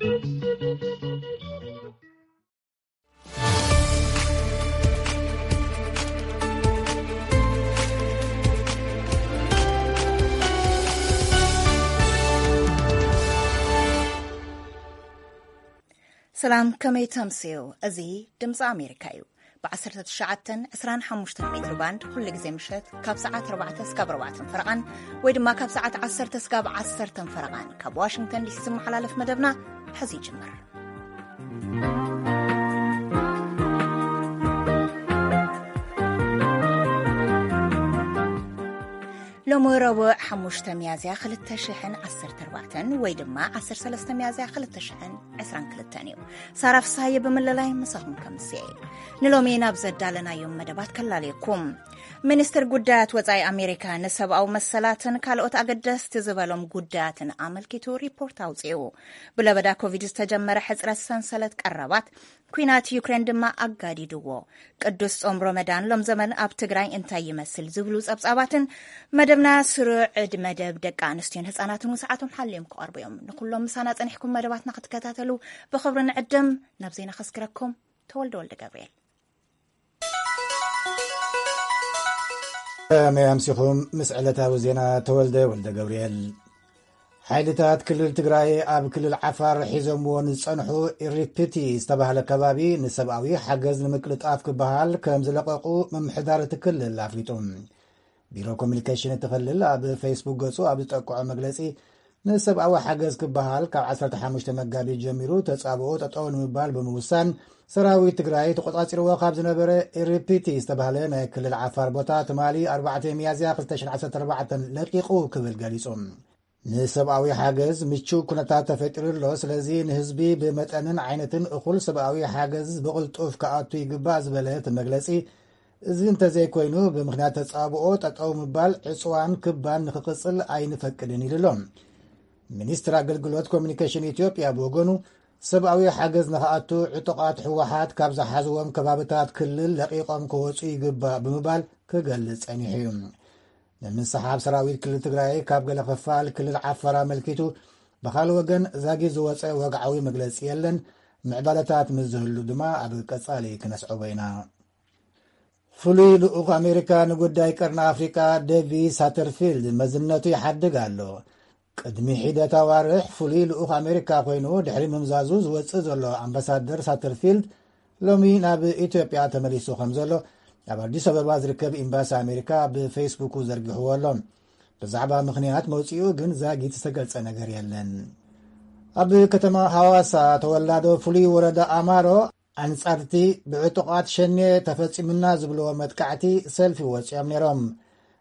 ሰላም፣ ከመይ ተምስዩ? እዚ ድምፂ ኣሜሪካ እዩ። ብ19፣ 25 ሜትር ባንድ ኩሉ ግዜ ምሸት ካብ ሰዓት ኣርባዕተ እስካብ ኣርባዕተ ፈረቓን ወይ ድማ ካብ ሰዓት ዓሰርተ እስካብ ዓሰርተ ፈረቓን ካብ ዋሽንግተን ዲሲ ዝመሓላለፍ መደብና ሕዚ ይጅምር። ሎሚ ረቡዕ ሓሙሽተ ሚያዝያ ክልተ ሽሕን ዓሰርተ ኣርባዕተን ወይ ድማ ዓሰርተ ሰለስተ ሚያዝያ ክልተ ሽሕን ዕስራን ክልተን እዩ። ሳራ ፍስሃየ ብምልላይ ምሳኹም ከምስየ። ንሎሚ ናብ ዘዳለናዮም መደባት ከላልየኩም። ሚኒስትር ጉዳያት ወጻኢ ኣሜሪካ ንሰብኣዊ መሰላትን ካልኦት ኣገደስቲ ዝበሎም ጉዳያትን ኣመልኪቱ ሪፖርት ኣውጺኡ። ብለበዳ ኮቪድ ዝተጀመረ ሕጽረት ሰንሰለት ቀረባት፣ ኲናት ዩክሬን ድማ ኣጋዲድዎ። ቅዱስ ጾም ሮመዳን ሎም ዘመን ኣብ ትግራይ እንታይ ይመስል ዝብሉ ጸብጻባትን መደብና ስሩዕ ዕድ መደብ ደቂ ኣንስትዮን ህጻናትን እውን ሰዓቶም ሓልዮም ክቐርቡ እዮም። ንኩሎም ምሳና ጸኒሕኩም መደባትና ክትከታተሉ ብኽብሪ ንዕድም። ናብ ዜና ከስክረኩም ተወልደ ወልደ ገብርኤል። ከመይ ኣምሲኹም? ምስ ዕለታዊ ዜና ተወልደ ወልደ ገብርኤል። ሓይልታት ክልል ትግራይ ኣብ ክልል ዓፋር ሒዞምዎ ንዝጸንሑ ኢሪፒቲ ዝተባህለ ከባቢ ንሰብኣዊ ሓገዝ ንምቅልጣፍ ክበሃል ከም ዝለቀቁ ምምሕዳር እቲ ክልል ኣፍሊጡ። ቢሮ ኮሚኒኬሽን እቲ ክልል ኣብ ፌስቡክ ገጹ ኣብ ዝጠቅዖ መግለጺ፣ ንሰብኣዊ ሓገዝ ክበሃል ካብ ዓሰርተ ሓሙሽተ መጋቢት ጀሚሩ ተጻብኦ ጠጠው ንምባል ብምውሳን፣ ሰራዊት ትግራይ ተቆጻጺርዎ ካብ ዝነበረ ኢሪፒቲ ዝተባህለ ናይ ክልል ዓፋር ቦታ ትማሊ ኣርባዕተ ሚያዝያ ክልተ ሽሕን ዓሰርተ ኣርባዕተን ለቂቑ ክብል ገሊጹ። ንሰብኣዊ ሓገዝ ምቹው ኩነታት ተፈጢሩ ኣሎ፣ ስለዚ ንህዝቢ ብመጠንን ዓይነትን እኹል ሰብኣዊ ሓገዝ ብቕልጡፍ ክኣቱ ይግባእ ዝበለ እቲ መግለጺ፣ እዚ እንተዘይኮይኑ ብምኽንያት ተጻብኦ ጠጠው ምባል ዕጽዋን ክባን ንኽቕጽል ኣይንፈቅድን ኢሉ ኣሎ። ሚኒስትር ኣገልግሎት ኮሚኒኬሽን ኢትዮጵያ ብወገኑ፣ ሰብኣዊ ሓገዝ ንኽኣቱ ዕጡቓት ህወሓት ካብ ዝሓዝዎም ከባብታት ክልል ለቒቖም ክወጹ ይግባእ ብምባል ክገልጽ ጸኒሑ እዩ። ንምስሓብ ሰራዊት ክልል ትግራይ ካብ ገለ ክፋል ክልል ዓፋር ኣመልኪቱ፣ ብኻልእ ወገን ዛጊት ዝወጸ ወግዓዊ መግለጺ የለን። ምዕባለታት ምስ ዝህሉ ድማ ኣብ ቀጻሊ ክነስዕቦ ኢና። ፍሉይ ልኡኽ ኣሜሪካ ንጉዳይ ቀርኒ ኣፍሪቃ ዴቪድ ሳተርፊልድ መዝነቱ ይሓድግ ኣሎ። ቅድሚ ሒደት ኣዋርሕ ፍሉይ ልኡኽ ኣሜሪካ ኮይኑ ድሕሪ ምምዛዙ ዝወጽእ ዘሎ ኣምባሳደር ሳተርፊልድ ሎሚ ናብ ኢትዮጵያ ተመሊሱ ከም ዘሎ ኣብ ኣዲስ ኣበባ ዝርከብ ኤምባሲ ኣሜሪካ ብፌስቡኩ ዘርጊሕዎ ኣሎ። ብዛዕባ ምኽንያት መውጽኡ ግን ዛጊት ዝተገልጸ ነገር የለን። ኣብ ከተማ ሃዋሳ ተወላዶ ፍሉይ ወረዳ ኣማሮ ኣንጻርቲ ብዕጡቓት ሸኔ ተፈጺሙና ዝብልዎ መጥቃዕቲ ሰልፊ ወጺኦም ነይሮም።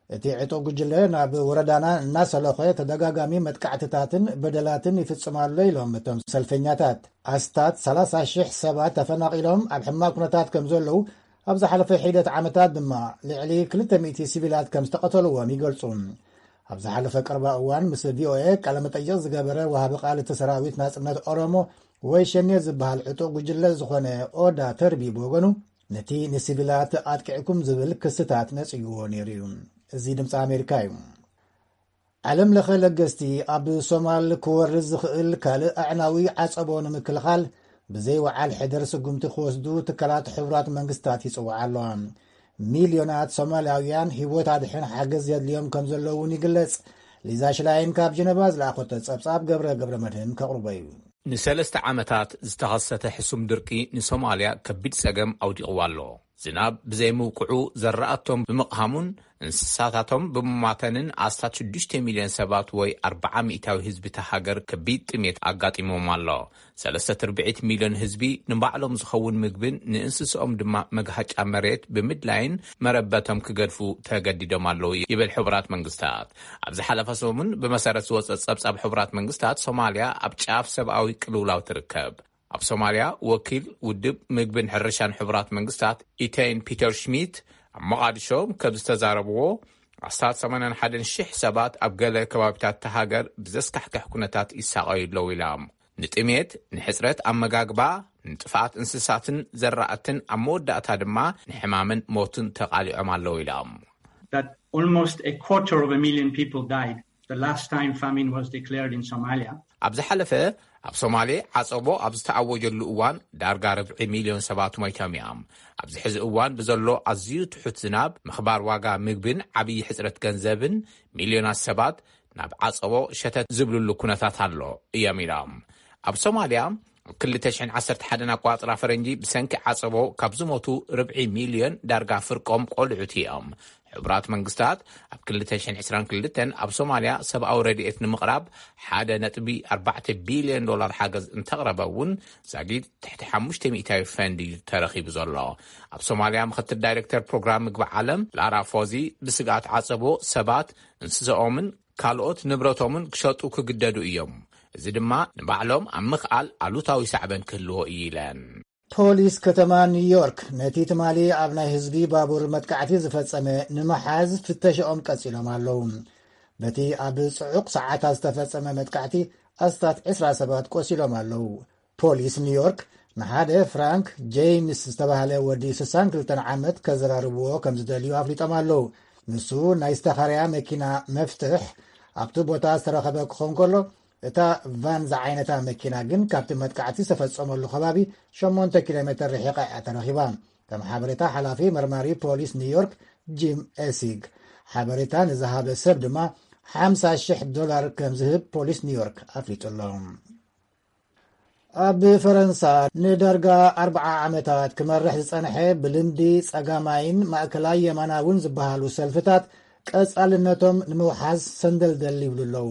እቲ ዕጡቕ ጉጅለ ናብ ወረዳና እናሰለኾ ተደጋጋሚ መጥቃዕትታትን በደላትን ይፍጽም ኣሎ ኢሎም እቶም ሰልፈኛታት። ኣስታት ሰላሳ ሽሕ ሰባት ተፈናቒሎም ኣብ ሕማቕ ኩነታት ከም ዘለዉ ኣብ ዝሓለፈ ሒደት ዓመታት ድማ ልዕሊ ክልተ ሚእቲ ሲቪላት ከም ዝተቐተልዎም ይገልጹ። ኣብ ዝሓለፈ ቀረባ እዋን ምስ ቪኦኤ ቃለ መጠይቕ ዝገበረ ወሃቢ ቃል እቲ ሰራዊት ናጽነት ኦሮሞ ወይ ሸኔ ዝበሃል ዕጡቕ ጉጅለ ዝኾነ ኦዳ ተርቢ ብወገኑ ነቲ ንሲቪላት ኣጥቂዕኩም ዝብል ክስታት ነጺግዎ ነይሩ እዩ። እዚ ድምፂ ኣሜሪካ እዩ። ዓለም ለኸ ለገስቲ ኣብ ሶማል ክወርድ ዝኽእል ካልእ ኣዕናዊ ዓጸቦ ንምክልኻል ብዘይ ወዓል ሕደር ስጉምቲ ክወስዱ ትካላት ሕቡራት መንግስታት ይጽውዓ ኣለዋ። ሚልዮናት ሶማልያውያን ህይወት ኣድሕን ሓገዝ የድልዮም ከም ዘለዉ እውን ይግለጽ። ሊዛ ሽላይን ካብ ጀነቫ ዝለኣኸቶ ጸብጻብ ገብረ ገብረ መድህን ከቕርቦ እዩ። ንሰለስተ ዓመታት ዝተኸሰተ ሕሱም ድርቂ ንሶማልያ ከቢድ ጸገም ኣውዲቕዋ ኣሎ። ዝናብ ብዘይምውቅዑ ዘራእቶም ብምቕሃሙን እንስሳታቶም ብምማተንን ኣስታት ሽዱሽተ ሚልዮን ሰባት ወይ ኣርብዓ ሚእታዊ ህዝቢ እታ ሃገር ከቢድ ጥሜት ኣጋጢሞም ኣሎ። ሰለስተ ትርብዒት ሚልዮን ህዝቢ ንባዕሎም ዝኸውን ምግብን ንእንስስኦም ድማ መግሃጫ መሬት ብምድላይን መረበቶም ክገድፉ ተገዲዶም ኣለዉ ይብል ሕቡራት መንግስታት። ኣብ ዝሓለፈ ሰሙን ብመሰረት ዝወጸ ጸብጻብ ሕቡራት መንግስታት ሶማልያ ኣብ ጫፍ ሰብኣዊ ቅልውላው ትርከብ። ኣብ ሶማልያ ወኪል ውድብ ምግብን ሕርሻን ሕቡራት መንግስታት ኢተይን ፒተር ሽሚት ኣብ መቓድሾ ከም ዝተዛረብዎ ኣስታት ሰማንያን ሓደን ሽሕ ሰባት ኣብ ገለ ከባቢታት እታ ሃገር ብዘስካሕክሕ ኩነታት ይሳቐዩ ኣለዉ ኢሎም። ንጥሜት፣ ንሕጽረት ኣመጋግባ፣ ንጥፍኣት እንስሳትን ዘራእትን ኣብ መወዳእታ ድማ ንሕማምን ሞትን ተቓሊዖም ኣለዉ ኢሎም። That almost a quarter of a million people died the last time famine was declared in Somalia. ኣብ ዝሓለፈ ኣብ ሶማሌ ዓጸቦ ኣብ ዝተኣወጀሉ እዋን ዳርጋ ርብዒ ሚልዮን ሰባት ሞይቶም እዮም። ኣብዚ ሕዚ እዋን ብዘሎ ኣዝዩ ትሑት ዝናብ፣ ምኽባር ዋጋ ምግብን ዓብዪ ሕጽረት ገንዘብን፣ ሚልዮናት ሰባት ናብ ዓጸቦ ሸተት ዝብልሉ ኩነታት ኣሎ እዮም ኢሎም። ኣብ ሶማልያ ኣብ ክልተ ሽሕን ዓሰርተ ሓደን ኣቋጽራ ፈረንጂ ብሰንኪ ዓጸቦ ካብ ዝሞቱ ርብዒ ሚልዮን ዳርጋ ፍርቆም ቆልዑት እዮም። ሕቡራት መንግስታት ኣብ ክልተ ሽሕን ዕስራን ክልተን ኣብ ሶማልያ ሰብኣዊ ረድኤት ንምቕራብ ሓደ ነጥቢ ኣርባዕተ ቢልዮን ዶላር ሓገዝ እንተቕረበ እውን ዛጊድ ትሕቲ ሓሙሽተ ሚእታዊ ፈንድ እዩ ተረኺቡ ዘሎ። ኣብ ሶማልያ ምኽትል ዳይሬክተር ፕሮግራም ምግቢ ዓለም ላራ ፎዚ ብስግኣት ዓጸቦ ሰባት እንስሳኦምን ካልኦት ንብረቶምን ክሸጡ ክግደዱ እዮም። እዚ ድማ ንባዕሎም ኣብ ምኽኣል ኣሉታዊ ሳዕበን ክህልዎ እዩ ኢለን። ፖሊስ ከተማ ኒውዮርክ ነቲ ትማሊ ኣብ ናይ ህዝቢ ባቡር መጥቃዕቲ ዝፈጸመ ንምሓዝ ፍተሻኦም ቀጺሎም ኣለዉ። በቲ ኣብ ጽዑቕ ሰዓታት ዝተፈጸመ መጥቃዕቲ ኣስታት ዕስራ ሰባት ቆሲሎም ኣለዉ። ፖሊስ ኒውዮርክ ንሓደ ፍራንክ ጄምስ ዝተባህለ ወዲ ስሳን ክልተን ዓመት ከዘራርብዎ ከም ዝደልዩ ኣፍሊጦም ኣለዉ። ንሱ ናይ ዝተኻርያ መኪና መፍትሕ ኣብቲ ቦታ ዝተረኸበ ክኸውን ከሎ፣ እታ ቫን ዝዓይነታ መኪና ግን ካብቲ መጥቃዕቲ ዝተፈጸመሉ ከባቢ ሸሞንተ ኪሎ ሜተር ርሒቓ እያ ተረኺባ። ከም ሓበሬታ ሓላፊ መርማሪ ፖሊስ ኒውዮርክ ጂም ኤሲግ፣ ሓበሬታ ንዝሃበ ሰብ ድማ ሓምሳ ሽሕ ዶላር ከም ዝህብ ፖሊስ ኒውዮርክ ኣፍሊጡ ኣሎ። ኣብ ፈረንሳ ንዳርጋ ኣርብዓ ዓመታት ክመርሕ ዝጸንሐ ብልምዲ ጸጋማይን ማእከላይ የማናውን ዝበሃሉ ሰልፍታት ቀጻልነቶም ንምውሓዝ ሰንደልደል ይብሉ ኣለዉ።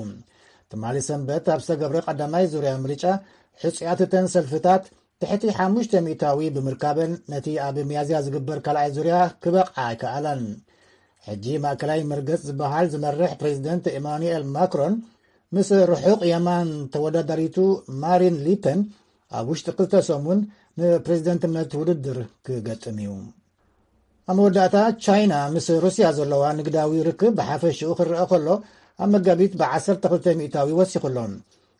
ትማሊ ሰንበት ኣብ ዝተገብረ ቀዳማይ ዙርያ ምርጫ፣ ሕጹያት እተን ሰልፍታት ትሕቲ ሓሙሽተ ሚእታዊ ብምርካበን፣ ነቲ ኣብ ሚያዝያ ዝግበር ካልኣይ ዙርያ ክበቕዓ ኣይከኣላን። ሕጂ ማእከላይ መርገጽ ዝበሃል ዝመርሕ ፕሬዚደንት ኤማኑኤል ማክሮን ምስ ርሑቕ የማን ተወዳዳሪቱ ማሪን ሊፐን ኣብ ውሽጢ ክልተ ሰሙን ንፕሬዚደንትነት ውድድር ክገጥም እዩ። ኣብ መወዳእታ፣ ቻይና ምስ ሩስያ ዘለዋ ንግዳዊ ርክብ ብሓፈሽኡ ክረአ ከሎ፣ ኣብ መጋቢት ብዓሰርተ ክልተ ሚእታዊ ወሲኹ ኣሎ።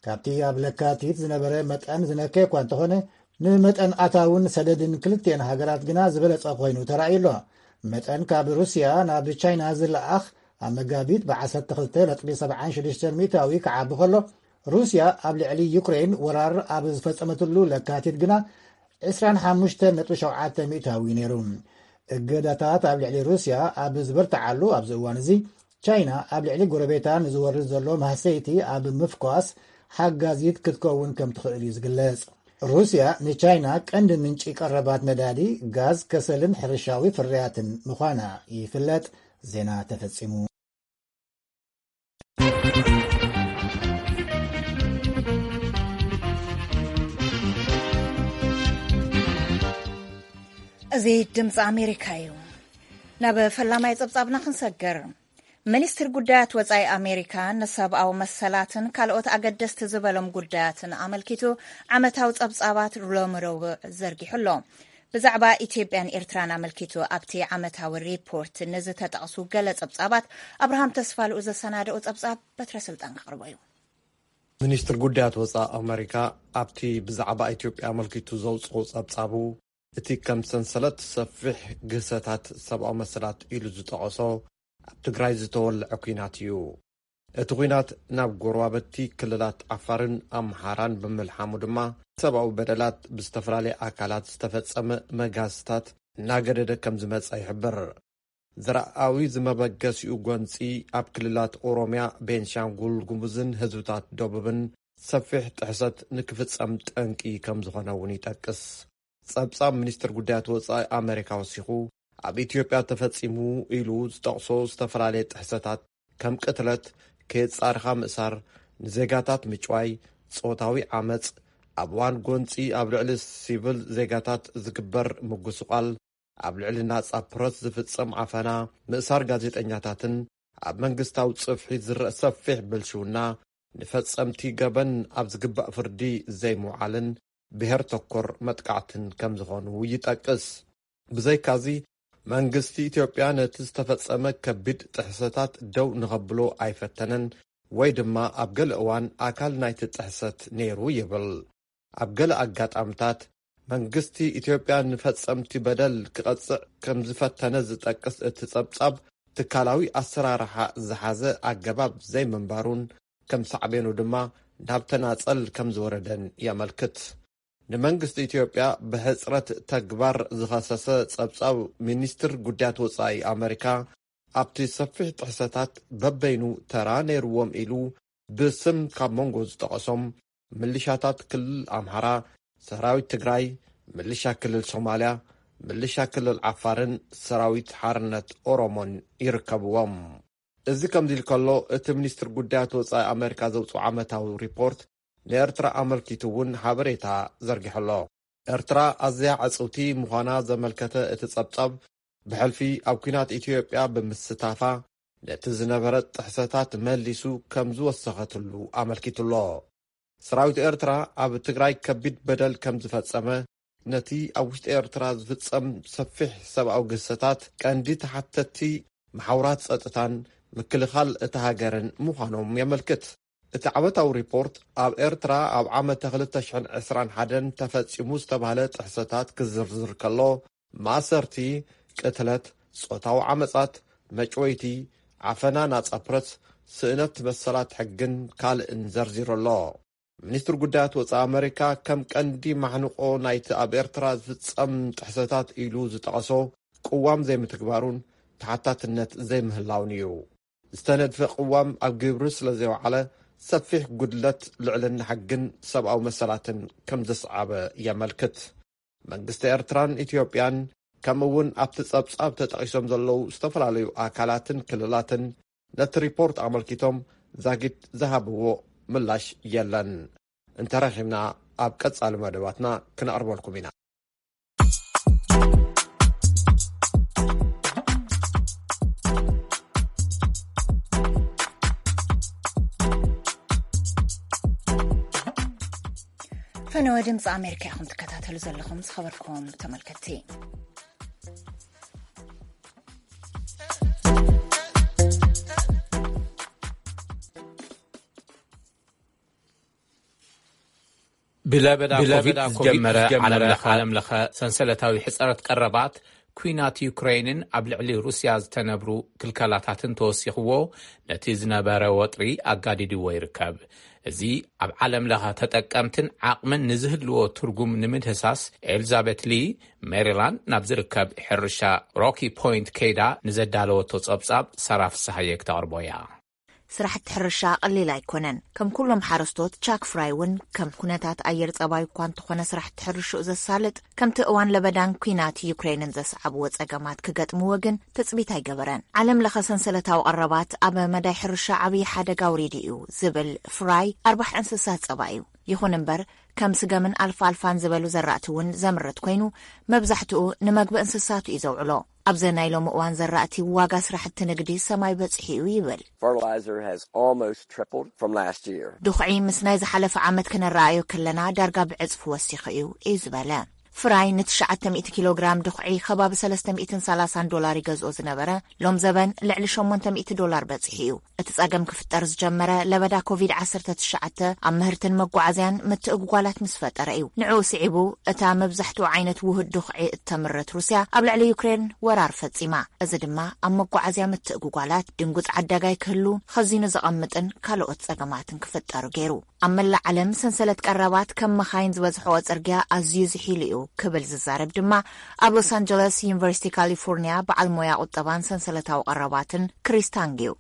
ካብቲ ኣብ ለካቲት ዝነበረ መጠን ዝነከ እኳ እንተኾነ፣ ንመጠን ኣታውን ሰደድን ክልቲኤን ሃገራት ግና ዝበለጸ ኮይኑ ተራእዩ ኣሎ። መጠን ካብ ሩስያ ናብ ቻይና ዝለኣኽ ኣብ መጋቢት ብዓሰርተ ክልተ ነጥቢ ሰብዓን ሽዱሽተን ሚእታዊ ክዓቢ ከሎ፣ ሩስያ ኣብ ልዕሊ ዩክሬን ወራር ኣብ ዝፈጸመትሉ ለካቲት ግና ዕስራን ሓሙሽተን ነጥቢ ሸውዓተ ሚእታዊ ነይሩ። እገዳታት ኣብ ልዕሊ ሩስያ ኣብ ዝበርትዓሉ ኣብዚ እዋን እዚ፣ ቻይና ኣብ ልዕሊ ጎረቤታ ንዝወርድ ዘሎ ማህሰይቲ ኣብ ምፍኳስ ሓጋዚት ክትከውን ከም ትኽእል እዩ ዝግለጽ። ሩስያ ንቻይና ቀንዲ ምንጪ ቀረባት ነዳዲ፣ ጋዝ፣ ከሰልን ሕርሻዊ ፍርያትን ምዃና ይፍለጥ። ዜና ተፈጺሙ። እዚ ድምፂ ኣሜሪካ እዩ። ናብ ፈላማይ ጸብጻብና ክንሰግር። ሚኒስትር ጉዳያት ወጻኢ ኣሜሪካ ንሰብኣዊ መሰላትን ካልኦት ኣገደስቲ ዝበሎም ጉዳያትን ኣመልኪቱ ዓመታዊ ጸብጻባት ሎሚ ረቡዕ ዘርጊሑ ኣሎ። ብዛዕባ ኢትዮጵያን ኤርትራን ኣመልኪቱ ኣብቲ ዓመታዊ ሪፖርት ንዝተጠቕሱ ገለ ጸብጻባት፣ ኣብርሃም ተስፋልኡ ዘሰናደኦ ጸብጻብ በትረ ስልጣን ከቕርቦ እዩ። ሚኒስትር ጉዳያት ወጻኢ ኣሜሪካ ኣብቲ ብዛዕባ ኢትዮጵያ ኣመልኪቱ ዘውጽኦ ጸብጻቡ፣ እቲ ከም ሰንሰለት ሰፊሕ ግህሰታት ሰብኣዊ መሰላት ኢሉ ዝጠቐሶ ኣብ ትግራይ ዝተወልዐ ኲናት እዩ። እቲ ኲናት ናብ ጎረባብቲ ክልላት ዓፋርን ኣምሓራን ብምልሓሙ ድማ፣ ሰብኣዊ በደላት፣ ብዝተፈላለየ ኣካላት ዝተፈጸመ መጋዝታት እናገደደ ከም ዝመጸ ይሕብር። ዘርኣዊ ዝመበገሲኡ ጎንጺ ኣብ ክልላት ኦሮምያ፣ ቤንሻንጉል ጉሙዝን ህዝብታት ደቡብን ሰፊሕ ጥሕሰት ንክፍጸም ጠንቂ ከም ዝኾነ እውን ይጠቅስ። ጸብጻብ ሚኒስትር ጉዳያት ወጻኢ ኣሜሪካ ወሲኹ፣ ኣብ ኢትዮጵያ ተፈጺሙ ኢሉ ዝጠቕሶ ዝተፈላለየ ጥሕሰታት ከም ቅትለት፣ ከየጻርኻ ምእሳር፣ ንዜጋታት ምጭዋይ፣ ጾታዊ ዓመጽ፣ ኣብ እዋን ጎንጺ ኣብ ልዕሊ ሲቪል ዜጋታት ዝግበር ምጉስቋል፣ ኣብ ልዕሊ ናጻ ፕረስ ዝፍጸም ዓፈና፣ ምእሳር ጋዜጠኛታትን ኣብ መንግስታዊ ጽፍሒ ዝረአ ሰፊሕ ብልሽውና፣ ንፈጸምቲ ገበን ኣብ ዝግባእ ፍርዲ ዘይምውዓልን ብሄር ተኮር መጥቃዕትን ከም ዝኾኑ ይጠቅስ። ብዘይካዚ፣ መንግስቲ ኢትዮጵያ ነቲ ዝተፈጸመ ከቢድ ጥሕሰታት ደው ንኸብሎ ኣይፈተነን ወይ ድማ ኣብ ገለ እዋን ኣካል ናይቲ ጥሕሰት ነይሩ ይብል። ኣብ ገለ ኣጋጣምታት፣ መንግስቲ ኢትዮጵያ ንፈጸምቲ በደል ክቐጽዕ ከም ዝፈተነ ዝጠቅስ እቲ ጸብጻብ፣ ትካላዊ ኣሰራርሓ ዝሓዘ ኣገባብ ዘይምንባሩን ከም ሳዕቤኑ ድማ ናብ ተናጸል ከም ዝወረደን የመልክት። ንመንግስቲ ኢትዮጵያ ብሕጽረት ተግባር ዝኸሰሰ ጸብጻብ ሚኒስትር ጉዳያት ወጻኢ ኣመሪካ፣ ኣብቲ ሰፊሕ ጥሕሰታት በበይኑ ተራ ነይርዎም ኢሉ ብስም ካብ መንጎ ዝጠቐሶም፣ ምልሻታት ክልል ኣምሓራ፣ ሰራዊት ትግራይ፣ ምልሻ ክልል ሶማልያ፣ ምልሻ ክልል ዓፋርን ሰራዊት ሓርነት ኦሮሞን ይርከብዎም። እዚ ከምዚ ኢሉ ከሎ፣ እቲ ሚኒስትር ጉዳያት ወጻኢ ኣመሪካ ዘውፅኦ ዓመታዊ ሪፖርት ንኤርትራ ኣመልኪቱ እውን ሓበሬታ ዘርጊሑ ኣሎ። ኤርትራ ኣዝያ ዕጽውቲ ምዃና ዘመልከተ እቲ ጸብጻብ፣ ብሕልፊ ኣብ ኲናት ኢትዮጵያ ብምስታፋ፣ ነቲ ዝነበረ ጥሕሰታት መሊሱ ከም ዝወሰኸትሉ ኣመልኪቱ ኣሎ። ሰራዊት ኤርትራ ኣብ ትግራይ ከቢድ በደል ከም ዝፈጸመ፣ ነቲ ኣብ ውሽጢ ኤርትራ ዝፍጸም ሰፊሕ ሰብኣዊ ግህሰታት ቀንዲ ተሓተትቲ መሓውራት ጸጥታን ምክልኻል እታ ሃገርን ምዃኖም የመልክት። እቲ ዓመታዊ ሪፖርት ኣብ ኤርትራ ኣብ ዓመተ ክልተ ሽሕን ዕስራን ሓደን ተፈጺሙ ዝተባህለ ጥሕሰታት ክዝርዝር ከሎ፣ ማእሰርቲ፣ ቅትለት፣ ጾታዊ ዓመጻት፣ መጭወይቲ፣ ዓፈና ናጻ ፕረስ፣ ስእነት መሰላት ሕግን ካልእን ዘርዚሩ ኣሎ። ሚኒስትር ጉዳያት ወጻኢ ኣመሪካ ከም ቀንዲ ማሕንቆ ናይቲ ኣብ ኤርትራ ዝፍጸም ጥሕሰታት ኢሉ ዝጠቐሶ ቅዋም ዘይምትግባሩን ተሓታትነት ዘይምህላውን እዩ። ዝተነድፈ ቅዋም ኣብ ግብሪ ስለ ዘይወዓለ፣ ሰፊሕ ጉድለት ልዕልና ሕግን ሰብኣዊ መሰላትን ከም ዘስዓበ የመልክት። መንግስቲ ኤርትራን ኢትዮጵያን፣ ከምኡ እውን ኣብቲ ጸብጻብ ተጠቒሶም ዘለዉ ዝተፈላለዩ ኣካላትን ክልላትን፣ ነቲ ሪፖርት ኣመልኪቶም ዛጊት ዝሃብዎ ምላሽ የለን። እንተረኺብና፣ ኣብ ቀጻሊ መደባትና ክነቕርበልኩም ኢና። ፈነወ ድምፂ ኣሜሪካ ኢኹም ትከታተሉ ዘለኹም፣ ዝኸበርኩም ተመልከትቲ። ብለበዳ ብለበዳ ኮቪድ ኮቪድ ዝጀመረ ዝጀመረ ዓለም ለኸ ዓለም ለኸ ሰንሰለታዊ ሕጽረት ቀረባት፣ ኲናት ዩክሬንን ኣብ ልዕሊ ሩስያ ዝተነብሩ ክልከላታትን ተወሲኽዎ፣ ነቲ ዝነበረ ወጥሪ ኣጋዲድዎ ይርከብ። እዚ ኣብ ዓለም ለኸ ተጠቀምትን ዓቕምን ንዝህልዎ ትርጉም ንምድህሳስ፣ ኤልዛቤት ሊ ሜሪላንድ ናብ ዝርከብ ሕርሻ ሮኪ ፖይንት ከይዳ ንዘዳለወቶ ጸብጻብ፣ ሳራ ፍስሃየ ክተቕርቦ እያ። ስራሕቲ ሕርሻ ቀሊል ኣይኮነን። ከም ኩሎም ሓረስቶት፣ ቻክ ፍራይ እውን ከም ኩነታት ኣየር ጸባይ እኳ እንተኾነ ስራሕቲ ሕርሽኡ ዘሳልጥ፣ ከምቲ እዋን ለበዳን ኲናት ዩክሬንን ዘስዓብዎ ጸገማት ክገጥምዎ ግን ትጽቢት ኣይገበረን። ዓለም ለኸ ሰንሰለታዊ ቀረባት ኣብ መዳይ ሕርሻ ዓብዪ ሓደጋ ኣውሪዱ እዩ ዝብል ፍራይ፣ ኣርባሕ እንስሳት ጸባ እዩ። ይኹን እምበር፣ ከም ስገምን ኣልፋ ኣልፋን ዝበሉ ዘራእቲ እውን ዘምርት ኮይኑ፣ መብዛሕትኡ ንመግቢ እንስሳቱ እዩ ዘውዕሎ። ኣብዚ ናይ ሎሚ እዋን ዘራእቲ፣ ዋጋ ስራሕቲ ንግዲ ሰማይ በጺሑ እዩ ይብል። Fertilizer has almost tripled from last year. ድኹዒ ምስ ናይ ዝሓለፈ ዓመት ክነረኣዮ ከለና፣ ዳርጋ ብዕጽፊ ወሲኹ እዩ፣ እዩ ዝበለ። ፍራይ ንትሽዓተ ሚእቲ ኪሎ ግራም ድኹዒ ከባቢ ሰለስተ ሚእትን ሰላሳን ዶላር ይገዝኦ ዝነበረ፣ ሎም ዘበን ልዕሊ ሸሞንተ ሚእቲ ዶላር በጺሑ እዩ። እቲ ጸገም ክፍጠር ዝጀመረ፣ ለበዳ ኮቪድ ዓሰርተ ትሽዓተ ኣብ ምህርትን መጓዓዝያን ምትእጉጓላት ምስ ፈጠረ እዩ። ንዕኡ ስዒቡ፣ እታ መብዛሕትኡ ዓይነት ውሁድ ድኹዒ እተምርት ሩስያ፣ ኣብ ልዕሊ ዩክሬን ወራር ፈጺማ። እዚ ድማ ኣብ መጓዓዝያ ምትእጉጓላት፣ ድንጉጽ ዓዳጋይ ክህሉ፣ ኸዚኑ ዘቐምጥን ካልኦት ጸገማትን ክፍጠሩ ገይሩ። ኣብ መላእ ዓለም ሰንሰለት ቀረባት ከም መኻይን ዝበዝሖ ጽርግያ ኣዝዩ ዝሒሉ እዩ ክብል ዝዛረብ ድማ ኣብ ሎስ ኣንጀለስ ዩኒቨርሲቲ ካሊፎርኒያ በዓል ሞያ ቁጠባን ሰንሰለታዊ ቀረባትን ክሪስ ታንግ እዩ።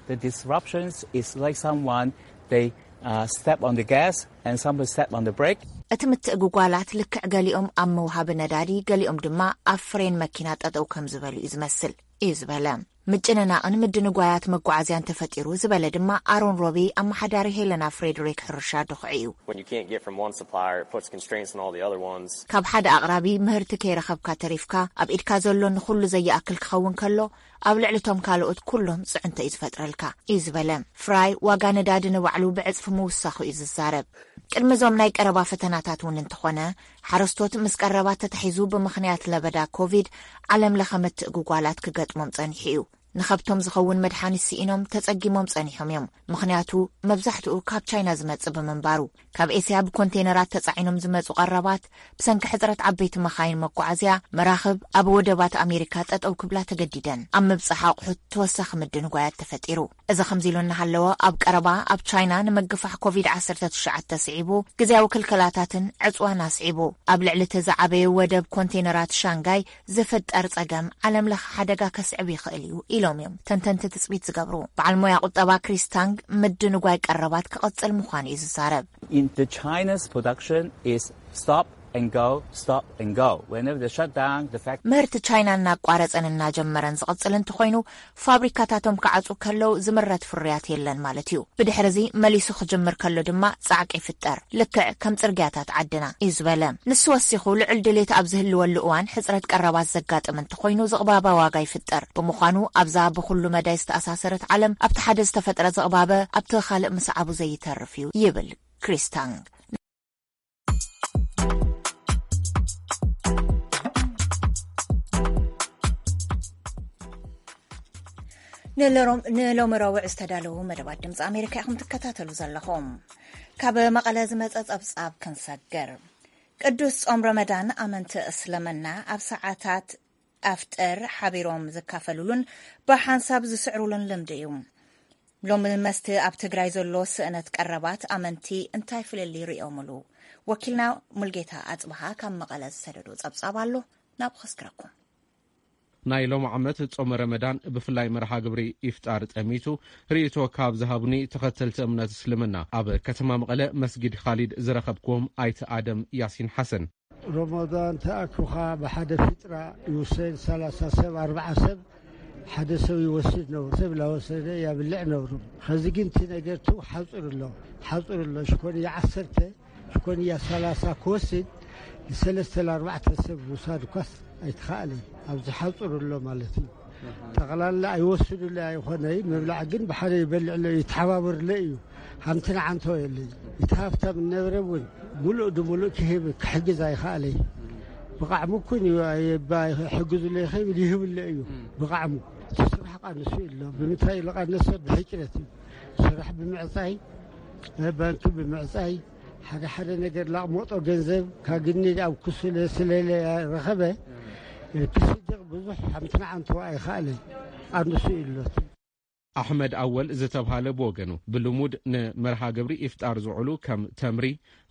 The disruptions is like someone, they uh, step on the gas and someone step on the brake. እቲ ምትእጉጓላት ልክዕ ገሊኦም ኣብ መውሃቢ ነዳዲ፣ ገሊኦም ድማ ኣብ ፍሬን መኪና ጠጠው ከም ዝበሉ እዩ ዝመስል፣ እዩ ዝበለ። ምጭንናቕን ምድንጓያት መጓዓዝያን ተፈጢሩ ዝበለ ድማ ኣሮን ሮቢ፣ ኣመሓዳሪ ሄለና ፍሬድሪክ ሕርሻ ድኹዒ እዩ። When you can't get from one supplier, it puts constraints on all the other ones. ካብ ሓደ ኣቕራቢ ምህርቲ ከይረኸብካ ተሪፍካ፣ ኣብ ኢድካ ዘሎ ንኹሉ ዘየኣክል ክኸውን ከሎ፣ ኣብ ልዕሊ እቶም ካልኦት ኩሎም ጽዕንቶ እዩ ዝፈጥረልካ፣ እዩ ዝበለ። ፍራይ ዋጋ ነዳዲ ንባዕሉ ብዕጽፊ ምውሳኹ እዩ ዝዛረብ። ቅድሚ እዞም ናይ ቀረባ ፈተናታት እውን እንተኾነ፣ ሓረስቶት ምስ ቀረባት ተታሒዙ ብምኽንያት ለበዳ ኮቪድ ዓለም ለኸ ምትእጉጓላት ክገጥሞም ጸኒሑ እዩ። ንኸብቶም ዝኸውን መድሓኒት ስኢኖም ተጸጊሞም ጸኒሖም እዮም። ምኽንያቱ መብዛሕትኡ ካብ ቻይና ዝመጽእ ብምንባሩ። ካብ ኤስያ ብኮንቴነራት ተጻዒኖም ዝመጹ ቀረባት ብሰንኪ ሕጽረት ዓበይቲ መኻይን መጓዓዝያ መራኽብ ኣብ ወደባት ኣሜሪካ ጠጠው ክብላ ተገዲደን። ኣብ ምብጻሕ ኣቑሑት ተወሳኺ ምድንጓያት ተፈጢሩ። እዚ ከምዚ ኢሉ እናሃለወ ኣብ ቀረባ ኣብ ቻይና ንምግፋሕ ኮቪድ ዓሰርተ ትሽዓተ ስዒቡ ግዜያዊ ክልከላታትን ዕጽዋን ኣስዒቡ ኣብ ልዕሊ እቲ ዝዓበየ ወደብ ኮንቴነራት ሻንጋይ ዝፍጠር ጸገም ዓለም ለኸ ሓደጋ ከስዕብ ይኽእል እዩ ኢሎም እዮም ተንተንቲ ትጽቢት ዝገብሩ። በዓል ሞያ ቁጠባ ክሪስ ታንግ ምድንጓይ ቀረባት ክቕጽል ምዃኑ እዩ ዝዛረብ። In the China's production is stop and go, stop and go. Whenever they shut down the factory, ምህርቲ ቻይና እናቋረጸን እናጀመረን ዝቕጽል እንተኾይኑ ፋብሪካታቶም ክዓጹ ከለው ዝምረት ፍርያት የለን ማለት እዩ። ብድሕሪ እዚ መሊሱ ክጅምር ከሎ ድማ ጻዕቂ ይፍጠር፣ ልክዕ ከም ጽርግያታት ዓድና እዩ ዝበለ። ንሱ ወሲኹ ልዑል ድሌት ኣብ ዝህልወሉ እዋን ሕጽረት ቀረባት ዘጋጥም እንተኾይኑ ዝቕባበ ዋጋ ይፍጠር። ብምዃኑ ኣብዛ ብኹሉ መዳይ ዝተኣሳሰረት ዓለም ኣብቲ ሓደ ዝተፈጥረ ዝቕባበ ኣብቲ ካልእ ምስዓቡ ዘይተርፍ እዩ ይብል ክሪስታንግ። ንሎሮም- ንሎሚ ረቡዕ ዝተዳለዉ መደባት ድምፂ ኣሜሪካ ኢኹም ትከታተሉ ዘለኹም። ካብ መቐለ ዝመፀ ፀብፃብ ክንሰግር። ቅዱስ ጾም ረመዳን ኣመንቲ እስልምና ኣብ ሰዓታት ኣፍጥር ሓቢሮም ዝካፈሉሉን ብሓንሳብ ዝስዕሩሉን ልምዲ እዩ። ሎሚ መስቲ ኣብ ትግራይ ዘሎ ስእነት ቀረባት ኣመንቲ እንታይ ፍልልይ ርእዮምሉ? ወኪልና ሙልጌታ ኣጽብሃ ካብ መቐለ ዝሰደዶ ጸብጻብ ኣሎ፣ ናብኡ ከስግረኩም። ናይ ሎም ዓመት ጾመ ረመዳን ብፍላይ መርሃ ግብሪ ኢፍጣር ጠሚቱ ርእይቶ ካብ ዝሃቡኒ ተኸተልቲ እምነት እስልምና ኣብ ከተማ መቐለ መስጊድ ኻሊድ ዝረኸብክዎም ኣይተ ኣደም ያሲን ሓሰን። ሮሞዳን ተኣኪኻ ብሓደ ፊጥራ ይውሰን ሰላሳ ሰብ ኣርባዓ ሰብ ሓደ ሰብ ይወስድ ነብሩ ሰብ ላወሰደ ያብልዕ ነብሩ። ኸዚ ግን እቲ ነገር ቱ ሓፁር ኣሎ ሓፁር ኣሎ ሽኮንያ ዓሰርተ ሽኮንያ ሰላሳ ክወስድ ንሰለስተ ለኣርባዕተ ሰብ ውሳድ ኳስ ኣይትኸኣልን ኣብዚ ሓፁር ኣሎ ማለት እዩ። ጠቕላላ ኣይወስዱለ ኣይኾነይ ምብላዕ ግን ብሓደ ይበልዕለ እዩ ይተሓባበርለ እዩ። ሓንቲ ንዓንቶ የለይ እቲ ሃፍታም እነበረ እውን ሙሉእ ድሙሉእ ክህብ ክሕግዝ ኣይኸኣለይ። ብቃዕሙ ኩን እዩ ኣይባ ሕግዙለ ይኸብል ይህብለ እዩ። ብቃዕሙ እቲ ስራሕ ቃንሱ ኣሎ ብምንታይ ኢሉ ቃነሰ ብሕጭረት እዩ። ስራሕ ብምዕፃይ ባንኪ ብምዕፃይ ሓደ ሓደ ነገር ላቕመጦ ገንዘብ ካግኒ ኣብ ክሱለ ስለለ ረኸበ ክስድቕ ብዙሕ ሓምቲ ንዓንቶ ኣይኸኣለይ። ቃንሱ እዩ ኣሎት። ኣሕመድ ኣወል ዝተብሃለ ብወገኑ ብልሙድ ንመርሃ ግብሪ ኢፍጣር ዝውዕሉ ከም ተምሪ፣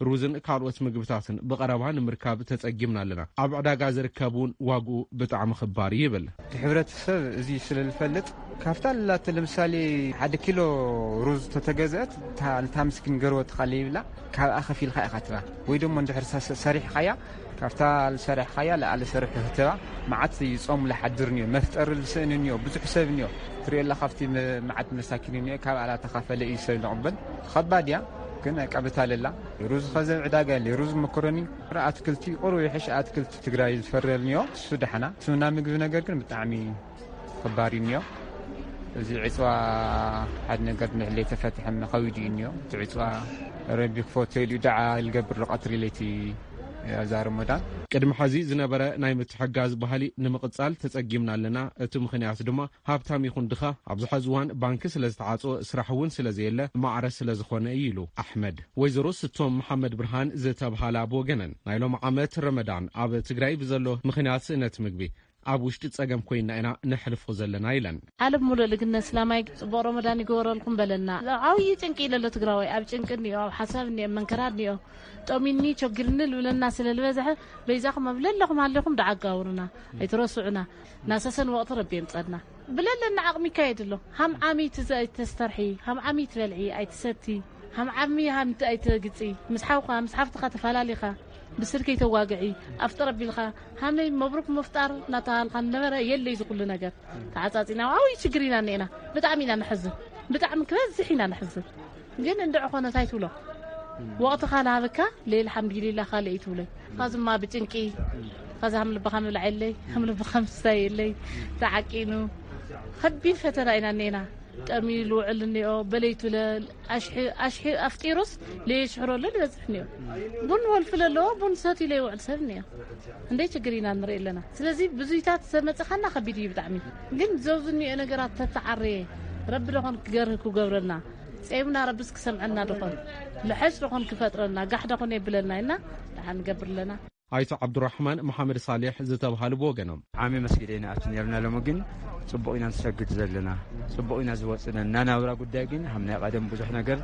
ሩዝን ካልኦት ምግብታትን ብቐረባ ንምርካብ ተጸጊምና ኣለና። ኣብ ዕዳጋ ዝርከብ እውን ዋግኡ ብጣዕሚ ክባር እዩ ይብል። እቲ ሕብረተሰብ እዚ ስለ ዝፈልጥ ካብታ ላተ ለምሳሌ ሓደ ኪሎ ሩዝ ተተገዘአት እታ ምስኪን ገርወትኻ ለይብላ ካብኣ ከፊልካ ኢኻ ትባ ወይ ደሞ እንድሕር ሰሪሕኻያ ካብታ ዝሰረሕኻያ ለኣለ ሰርሑ ህተባ። መዓት ይጾም ለሓድር ንዮ መፍጠሪ ልስእን ንዮ ብዙሕ ሰብ ንዮ ትሪኦ ኣላ ካብቲ መዓት መሳኪን ንዮ ካብ ኣላ ተኻፈለ እዩ ሰብ ንቕበል። ኸባድ እያ ግን ቀብታ ለላ። ሩዝ ኸዘብ ዕዳጋ የለ ሩዝ መኮረኒ ኣትክልቲ ቁሩ ይሕሽ ኣትክልቲ ትግራይ ዝፈረል ንዮ እሱ ደሓና። ስምና ምግቢ ነገር ግን ብጣዕሚ ኸባድ እዩ ንዮ። እዚ ዕፅዋ ሓደ ነገር ንሕለይ ተፈትሐ መኸዊድ እዩ ንዮ እቲ ዕፅዋ ረቢ ክፈቶ ኢሉ ደዓ ልገብር ቀትሪ ለይቲ ኣብዛ ረመዳን። ቅድሚ ሐዚ ዝነበረ ናይ ምትሕጋዝ ባህሊ ንምቕጻል ተጸጊምና ኣለና። እቲ ምኽንያት ድማ ሃብታም ይኹን ድኻ ኣብዚ ሐዚ እዋን ባንኪ ስለ ዝተዓጽወ ስራሕ እውን ስለ ዘየለ ማዕረ ስለ ዝኾነ እዩ ኢሉ ኣሕመድ። ወይዘሮ ስቶም መሓመድ ብርሃን ዝተብሃላ ብወገነን ናይ ሎም ዓመት ረመዳን ኣብ ትግራይ ብዘሎ ምኽንያት ስእነት ምግቢ ኣብ ውሽጢ ጸገም ኮይና ኢና ነሕልፎ ዘለና ኢለን። ዓለም ሙሉእ ልግነ እስላማይ ጽቡቕ ረመዳን ይግበረልኩም በለና። ዓብዪ ጭንቂ ኢለሎ ትግራዋይ ኣብ ጭንቂ እኒኦ ኣብ ሓሳብ እኒኦ መንከራ እኒኦ ጠሚኒ ቸግርኒ ልብለና ስለ ዝበዝሐ በይዛኹም ኣብ ለለኹም ሃለኹም ደዓ ኣጋብሩና ኣይትረስዑና ናሰሰን ወቕቲ ረቢ የምፀና ብለለና ዓቕሚ ይካየድ ኣሎ ሃም ዓሚ ትዘ ኣይተስተርሒ ሃም ዓሚ ትበልዒ ኣይትሰቲ ሃም ዓሚ ሃምቲ ኣይትግፂ ምስ ሓውኻ ምስ ሓፍትኻ ተፈላሊኻ ብስልኪ ይተዋግዒ ኣፍጥር ኣቢልካ ሃመይ መብሩክ ምፍጣር እናተባሃልካ ነበረ የለ እዚ ኩሉ ነገር ተዓፃፂና ዓብይ ችግር ኢና እኒኤና ብጣዕሚ ኢና ንሕዝን ብጣዕሚ ክበዝሕ ኢና ንሕዝን ግን እንድዒ ኮነ ታይ ትብሎ ወቕትኻ ልሃበካ ለይል ሓምዲሊላ ካልእ እዩ ትብሎ ካዝማ ብጭንቂ ካዚ ሃም ልብኻ ምብላዕ የለይ ሃም ልብኻ ምስታይ የለይ ተዓቂኑ ከቢድ ፈተና ኢና እኒኤና ጠምዩ ዝውዕል እኒኦ፣ በለይቱ ለ-፣ ኣሽሒ-፣ ኣሽሒ-፣ ኣፍጢሩስ ለየሽሕረሉ ዝበዝሕ እኒኦ። ቡን ወልፊ ለለዎ ቡን ሰትዩ ለይውዕል ሰብ እኒኦ። እንደ ችግር ኢና ንርኢ ኣለና። ስለዚ ብዙይታት ዘመፀኻና ከቢድ እዩ ብጣዕሚ። ግን ዘውዝ እኒኦ ነገራት ተተዓረየ ረቢ ደኾን ክገርህ ክገብረልና፣ ጸይምና ረብስ ክሰምዐና ደኾን፣ ልሐሽ ደኾን ክፈጥረና፣ ጋሕ ደኾን የብለና ኢልና ደሓን ንገብር ኣለና። ኣይቶ ዓብዱራሕማን መሓመድ ሳሌሕ ዝተብሃሉ ብወገኖም፣ ዓሚ መስጊድ ኢና ኣብቲ ነርና፣ ሎሚ ግን ጽቡቕ ኢና ንሰግድ ዘለና፣ ጽቡቕ ኢና ዝወጽነ። ናናብራ ጉዳይ ግን ሃም ናይ ቀደም ብዙሕ ነገር